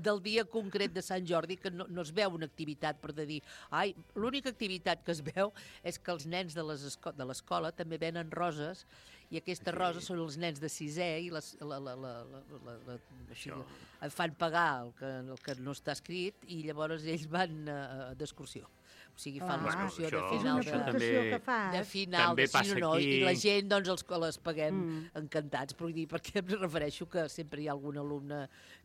del dia concret de Sant Jordi, que no es veu una activitat per dir... Ai, l'única activitat que es veu és que els nens de l'escola també venen roses i aquestes roses són els nens de 6è i fan pagar el que no està escrit i llavors ells van d'excursió. O sigui, fan l'excursió de final de final, i la gent doncs les paguem encantats, però vull dir, perquè em refereixo que sempre hi ha algun alumne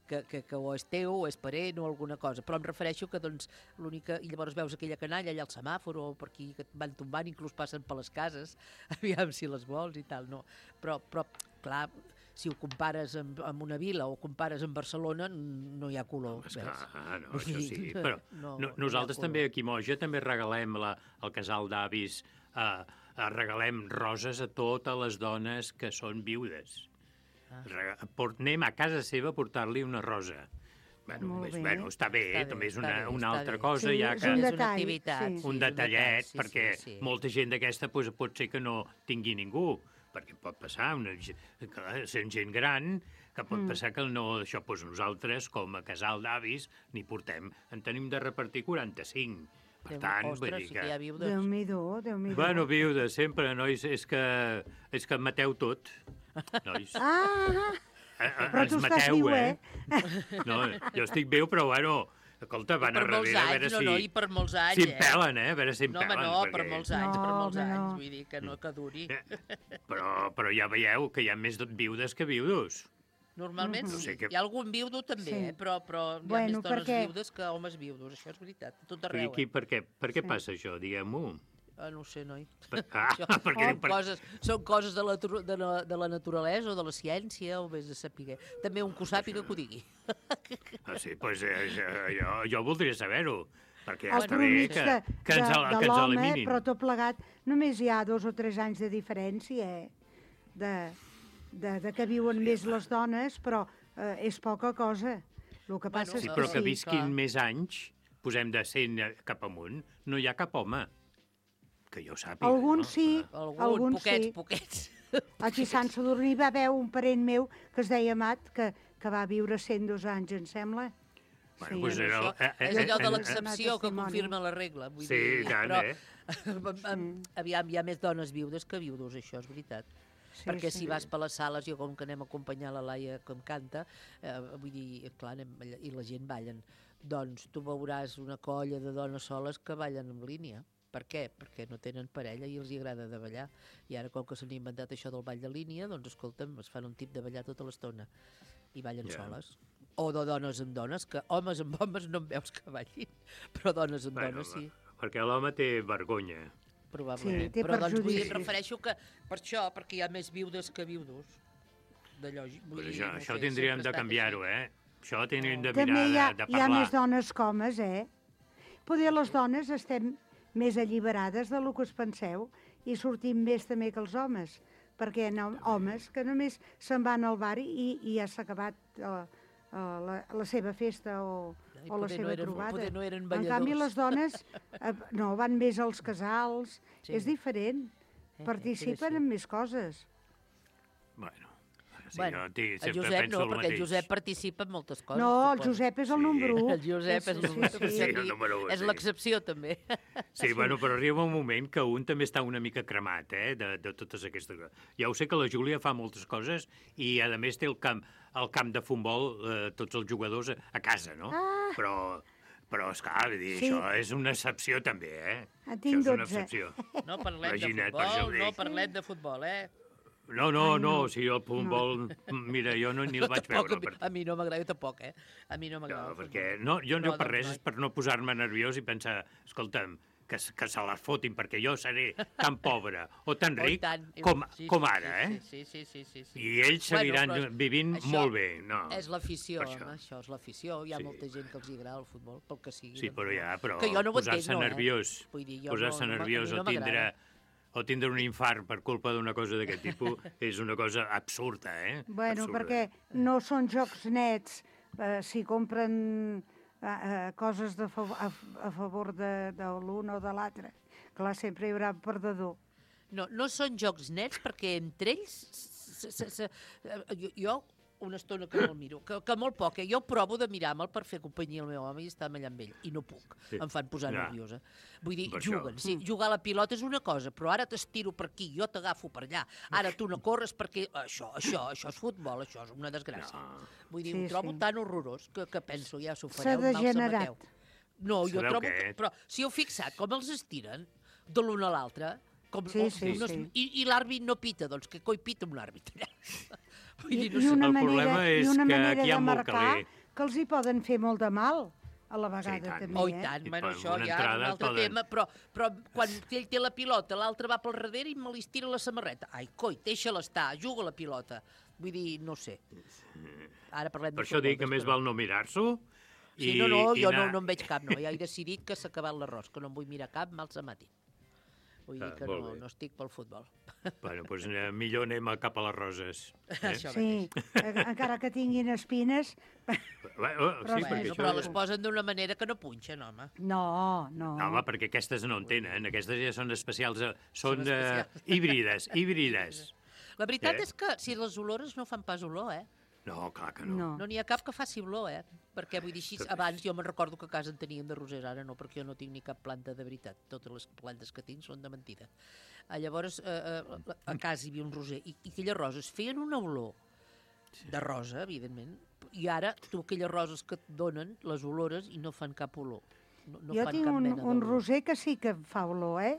que o és teu o és parent o alguna cosa, però em refereixo que doncs l'única, i llavors veus aquella canalla allà al semàfor o per aquí que van tombant, inclús passen per les cases, aviam si les vols i tal, no. Però clar, si ho compares amb una vila o compares amb Barcelona, no hi ha color. No, això sí, però nosaltres també aquí a Moja també regalem al casal d'avis, regalem roses a totes les dones que són viudes. Anem a casa seva a portar-li una rosa. Bueno, està bé, també és una altra cosa, ja que... Un detallet, perquè molta gent d'aquesta pot ser que no tingui ningú, perquè pot passar, sent gent gran, que pot passar que això, nosaltres, com a casal d'avis, n'hi portem, en tenim de repartir 45. Per tant, vull dir que... Déu-m'hi-do. Bueno, viudes, sempre, nois, és que mateu tot, nois. Però tu estàs viu, No, jo estic viu, però bueno... Escolta, van a darrere a veure si... I per molts anys, si em pelen, a veure si em pelen. No, per molts anys, vull dir que no que duri. Però ja veieu que hi ha més viudes que viudos. Normalment sí. Hi ha algun viudo també, però hi ha més dones viudes que homes viudos, això és veritat, a tot arreu. Per què passa això, diguem-ho? No ho sé, noi. Són coses de la naturalesa o de la ciència, o vés a saber. També un que ho sàpiga que ho digui. Sí, doncs jo voldria saber-ho, perquè el està bé que ens eliminin. Però tot plegat, només hi ha 2 o 3 anys de diferència de que viuen més les dones, però és poca cosa. Sí, però que visquin més anys, posem de 100 cap amunt, no hi ha cap home. Que jo sàpiga. Alguns sí, alguns sí. Poquets. Aquí a Sant Sadurní va haver un parent meu que es deia Amat, que va viure 102 anys, em sembla. Bueno, és allò de l'excepció que confirma la regla. Sí, tant, Aviam, hi ha més dones viudes que viudos, això és veritat. Perquè si vas per les sales, jo com que anem a acompanyar la Laia com canta, vull dir, clar, i la gent ballen, doncs tu veuràs una colla de dones soles que ballen en línia. Per què? Perquè no tenen parella i els agrada de ballar. I ara, com que s'han inventat això del ball de línia, doncs, escolta'm, es fan un tip de ballar tota l'estona. I ballen soles. O de dones amb dones, que homes amb homes no em veus que ballin, però dones amb dones sí. Perquè l'home té vergonya. Probablement. Sí, però doncs em refereixo que per això, perquè hi ha més viudes que viudos. Això tindríem de canviar-ho, Això tindríem de mirar de parlar. Hi ha més dones que homes, Poder les dones estem més alliberades del que us penseu i sortim més també que els homes, perquè hi ha homes que només se'n van al bar i ja s'ha acabat la seva festa o la seva trobada. En canvi, les dones van més als casals, és diferent, participen en més coses. Bueno, el Josep no, perquè el Josep participa en moltes coses. No, el Josep és el número 1. El Josep és l'excepció, també. Sí, bueno, però arriba un moment que un també està una mica cremat, de totes aquestes coses. Ja ho sé que la Júlia fa moltes coses i, a més, té el camp de futbol, tots els jugadors a casa, no? Però esclar, això és una excepció, també, Tinc 12. Això és una excepció. No parlem de futbol, No, si el futbol... Mira, jo ni el vaig veure. A mi no m'agrada, tampoc, A mi no m'agrada. No, perquè jo per res és per no posar-me nerviós i pensar, escolta'm, que se les fotin, perquè jo seré tan pobre o tan ric com ara, Sí. I ells seguiran vivint molt bé. És l'afició, això és l'afició. Hi ha molta gent que els agrada el futbol, pel que sigui. Sí, però posar-se nerviós, o tindre un infart per culpa d'una cosa d'aquest tipus és una cosa absurda, Bueno, perquè no són jocs nets. Si compren coses a favor de l'un o de l'altre. Clar, sempre hi haurà un perdedor. No són jocs nets perquè entre ells... Jo una estona que me'l miro, que molt poc. Jo provo de mirar-me'l per fer companyia al meu home i estar allà amb ell, i no puc. Sí. Em fan posar nerviosa. Vull dir, Per juguen. això. Sí, jugar a la pilota és una cosa, però ara t'estiro per aquí, jo t'agafo per allà. Ara tu no corres perquè... Això és futbol, això és una desgràcia. Vull dir, ho trobo tan horrorós que penso, ja s'ho fareu, mal se mateu. No, jo trobo que... Però si heu fixat com els estiren de l'un a l'altre... I l'àrbit no pita, doncs que coi pita un àrbit allà? I una manera de marcar que els hi poden fer molt de mal a la vegada també. Oh, i tant, bueno, això ja és un altre tema, però quan ell té la pilota, l'altre va pel darrere i me li estira la samarreta. Ai, coi, deixa-la estar, juga a la pilota. Vull dir, no sé. Ara parlem de per això dic que més val no mirar-s'ho. Sí, jo no en veig cap, no. Ja he decidit que s'ha acabat l'arròs, que no em vull mirar cap, mal se matin. Vull dir que no estic pel futbol. Bueno, doncs millor anem cap a les roses. Sí, encara que tinguin espines... Però les posen d'una manera que no punxen, home. No. Home, perquè aquestes no en tenen. Aquestes ja són especials, són híbrides. La veritat és que si les olores no fan pas olor, No, clar que no. No n'hi ha cap que faci olor, Perquè, vull dir, així, abans jo me'n recordo que a casa en teníem de rosers, ara no, perquè jo no tinc ni cap planta de veritat. Totes les plantes que tinc són de mentida. Llavors, a casa hi havia un roser, i aquelles roses feien una olor de rosa, evidentment, i ara tu aquelles roses que et donen, les olores, i no fan cap olor. Jo tinc un roser que sí que fa olor,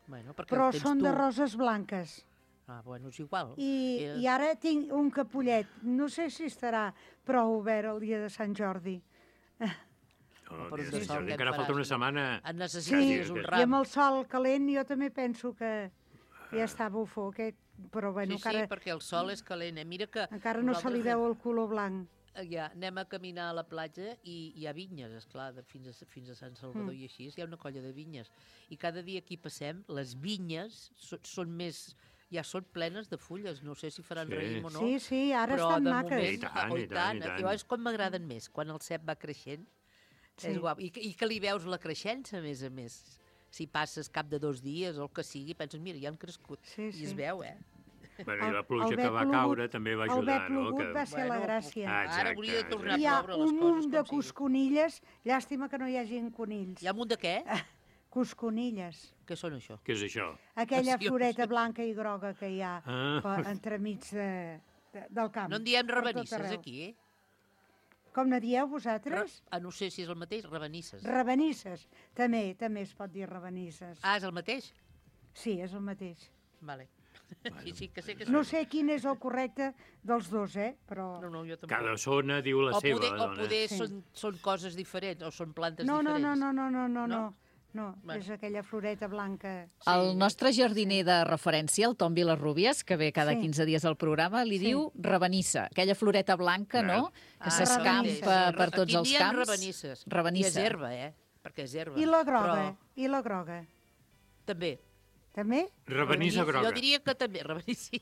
Bueno, però són de roses blanques. Bueno, és igual. I ara tinc un capullet. No sé si estarà prou obert el dia de Sant Jordi. Encara falta una setmana. Et necessites un ram. I amb el sol calent jo també penso que ja està bufó aquest. Però bueno, sí, perquè el sol és calent. Mira que encara no se li veu el color blanc. Ja, anem a caminar a la platja i hi ha vinyes, esclar, fins a Sant Salvador i així, hi ha una colla de vinyes. I cada dia que hi passem, les vinyes són més... Ja són plenes de fulles, no sé si faran raïm o no. Sí, ara estan maques. I tant. És com m'agraden més, quan el cep va creixent. És guap. I que li veus la creixença, a més. Si passes cap de 2 dies o el que sigui, penses, mira, ja han crescut. I es veu, Bueno, i la pluja que va caure també va ajudar, no? El verd va ser la gràcia. Ara hauria de tornar a ploure les coses. Hi ha un munt de cosconilles, llàstima que no hi hagi conills. Hi ha un munt de què? Cosconilles. Què són això? Què és això? Aquella floreta blanca i groga que hi ha entremig del camp. No en diem rabanisses, aquí, Com ne dieu vosaltres? No sé si és el mateix, rabanisses. Rabanisses. També es pot dir rabanisses. És el mateix? Sí, és el mateix. Vale. Sí, que sé que no sé quin és el correcte dels dos, però... No, jo tampoc. Cada zona diu la seva. O poder són coses diferents, o són plantes diferents. No, és aquella floreta blanca. El nostre jardiner de referència, el Tom Vilarrubias, que ve cada 15 dies al programa, li diu rabanissa, aquella floreta blanca, no?, que s'escampa per tots els camps. Aquí diem rabanisses. I és herba, perquè és herba. I la groga? També. També? Rabanissa groga. Jo diria que també, rabanissi.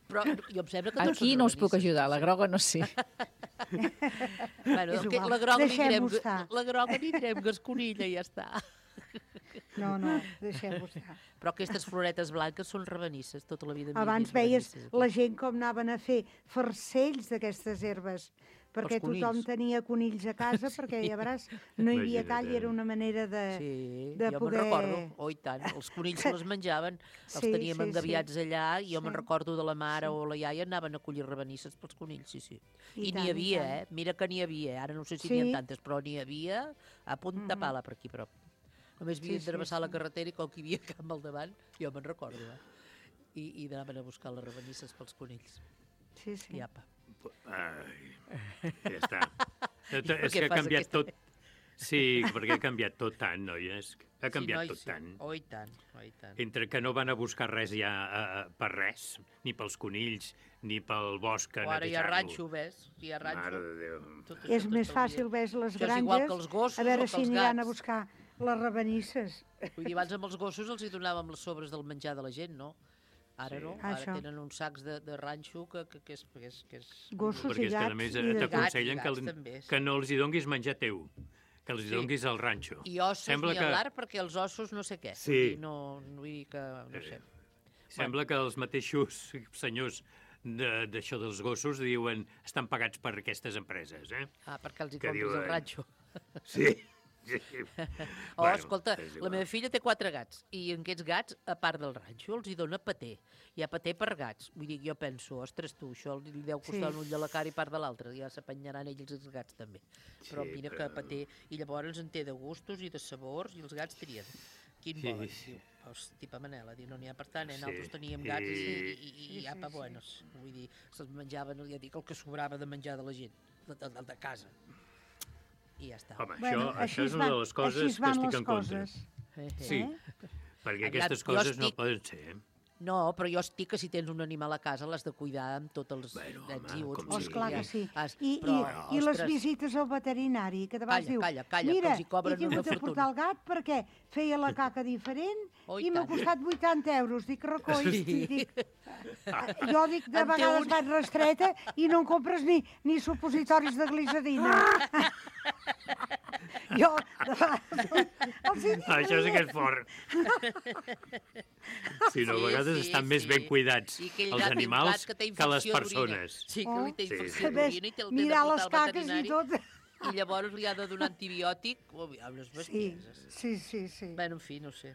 Però jo em sembla que tots aquí no us puc ajudar, la groga no sé. Bueno, la groga n'hi direm gasconilla i ja està. No, deixem-ho estar. Però aquestes floretes blanques són rabanisses, tota la vida. Abans veies la gent com anaven a fer farcells d'aquestes herbes, perquè tothom tenia conills a casa, perquè ja veuràs, no hi havia tall, era una manera de poder... Jo me'n recordo, i tant, els conills se les menjaven, els teníem engaviats allà, i jo me'n recordo de la mare o la iaia, anaven a collir rabanisses pels conills, sí. I n'hi havia, mira que n'hi havia, ara no sé si n'hi ha tantes, però n'hi havia a punta pala per aquí prop. Només havien de travessar la carretera i com que hi havia camp al davant, jo me'n recordo, i anaven a buscar les rabanisses pels conills. Sí. I apa. Ja està. És que ha canviat tot. Sí, perquè ha canviat tot tant, noies. Ha canviat tot tant. Oh, i tant. Entre que no van a buscar res ja per res, ni pels conills, ni pel bosc a netejar-lo. Ara hi ha ranxo, ves? Hi ha ranxo. Mare de Déu. És més fàcil, ves, les granges, a veure si aniran a buscar les rabanisses. Vull dir, abans amb els gossos els hi donàvem les sobres del menjar de la gent, no? Ara no, ara tenen uns sacs de ranxo que és... Gossos i gats. Perquè a més t'aconsellen que no els hi donguis menjar teu, que els donguis al ranxo. I ossos ni hablar, perquè els ossos no sé què. Sí. No vull dir que... no sé. Sembla que els mateixos senyors d'això dels gossos diuen estan pagats per aquestes empreses, eh? Perquè els hi compres al ranxo. Sí. Escolta, la meva filla té 4 gats i aquests gats, a part del ranxo, els hi dona paté. Hi ha paté per gats. Vull dir, jo penso, ostres, tu, això li deu costar un ull de la cara i part de l'altre. Ja s'apanyaran ells els gats també. Però mira que paté. I llavors en té de gustos i de sabors i els gats trien. Quin volen? Tipa Manela, no n'hi ha per tant, nosaltres teníem gats i apa buenos. Vull dir, se'ls menjaven, ja dic, el que sobrava de menjar de la gent, de casa. I ja està. Home, això és una de les coses que estic en contra. Sí, perquè aquestes coses no poden ser. No, però jo estic que si tens un animal a casa l'has de cuidar amb tots els nets i uts. Oh, esclar que sí. I les visites al veterinari, que de vegades diu, mira, he tingut de portar el gat perquè feia la caca diferent i m'ha costat 80 euros. Dic, recolls, jo dic, de vegades vaig restreta i no em compres ni supositoris de glicerina. Jo, això sí que és fort. Sí, no, a vegades estan més ben cuidats els animals que les persones. Sí, que li té infecció d'orina i té el mirar les caques i tot. I llavors li ha de donar antibiòtic. Unes bestieses. Sí. Bé, en fi, no sé.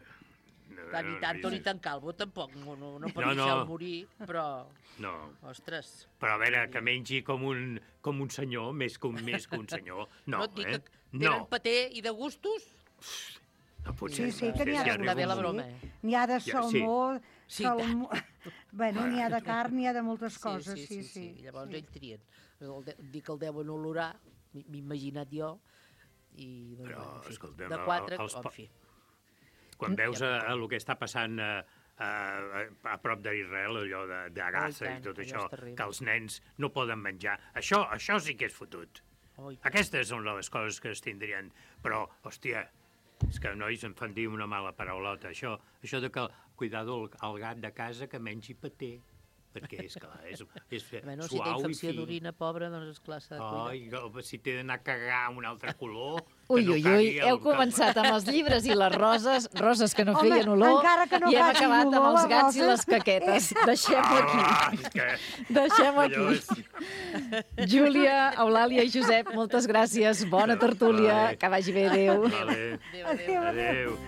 Ni tan calvo tampoc, no per deixar-lo morir, però... No. Ostres. Però a veure, que mengi com un senyor, més que un senyor. No, et dic que tenen paté i de gustos? No pot ser. Sí, que n'hi ha de broma. N'hi ha de salmó, bueno, n'hi ha de carn, n'hi ha de moltes coses, sí. Llavors ells trien. Dic que el deuen olorar, m'he imaginat jo, i però, escolta'm, de 4, en fi. Quan veus el que està passant a prop d'Israel, allò de Gaza i tot això, que els nens no poden menjar, això sí que és fotut. Aquestes són les coses que es tindrien. Però, hòstia, és que nois em fan dir una mala paraulota. Això de que cuidado el gat de casa que mengi paté. Perquè, esclar, és suau i fi. Si té infecció d'orina, pobra, doncs esclar s'ha de cuidar. Ai, si té d'anar a cagar un altre color... Ui, heu començat amb els llibres i les roses que no feien olor, i hem acabat amb els gats i les caquetes. Deixem-ho aquí. Deixem-ho aquí. Júlia, Eulàlia i Josep, moltes gràcies. Bona tertúlia. Que vagi bé. Adéu. Adéu.